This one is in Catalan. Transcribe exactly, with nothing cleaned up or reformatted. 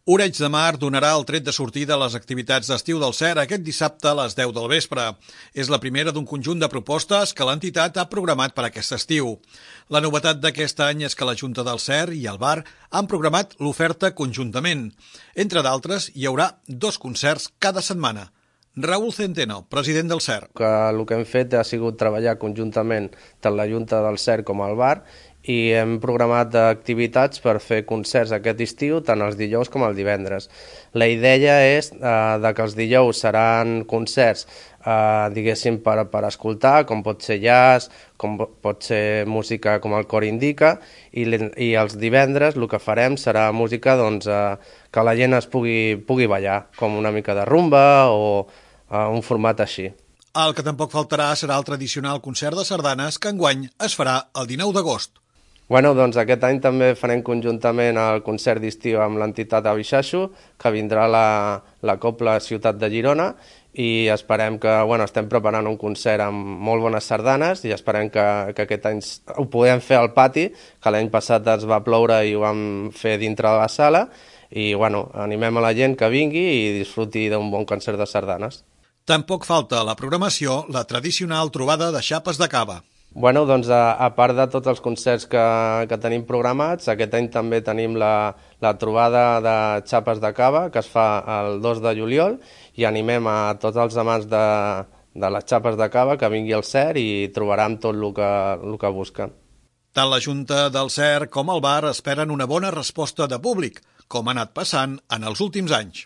Oreig de Mar donarà el tret de sortida a les activitats d'estiu del C E R aquest dissabte a les deu del vespre. És la primera d'un conjunt de propostes que l'entitat ha programat per aquest estiu. La novetat d'aquest any és que la Junta del C E R i el bar han programat l'oferta conjuntament. Entre d'altres, hi haurà dos concerts cada setmana. Raúl Centeno, president del C E R. Que el que hem fet ha sigut treballar conjuntament tant la Junta del C E R com el bar i hem programat activitats per fer concerts aquest estiu, tant els dijous com els divendres. La idea és eh, de que els dijous seran concerts eh, diguéssim per, per escoltar, com pot ser jazz, com pot ser música com el cor indica, i, i els divendres el que farem serà música doncs, eh, que la gent es pugui, pugui ballar, com una mica de rumba o eh, un format així. El que tampoc faltarà serà el tradicional concert de sardanes que enguany es farà el dinou d'agost. Bueno, doncs aquest any també farem conjuntament el concert d'estiu amb l'entitat Abixaixo, que vindrà la, la Cobla Ciutat de Girona, i esperem que, bueno, estem preparant un concert amb molt bones sardanes i esperem que, que aquest any ho podem fer al pati, que l'any passat ens va ploure i ho vam fer dintre de la sala, i bueno, animem a la gent que vingui i disfruti d'un bon concert de sardanes. Tampoc falta a la programació la tradicional trobada de xapes de cava. Bueno, doncs a, a part de tots els concerts que, que tenim programats, aquest any també tenim la, la trobada de xapes de cava que es fa el dos de juliol i animem a tots els amants de, de les xapes de cava que vingui al C E R i trobaran tot el que, el que busquen. Tant la Junta del C E R com el bar esperen una bona resposta de públic, com ha anat passant en els últims anys.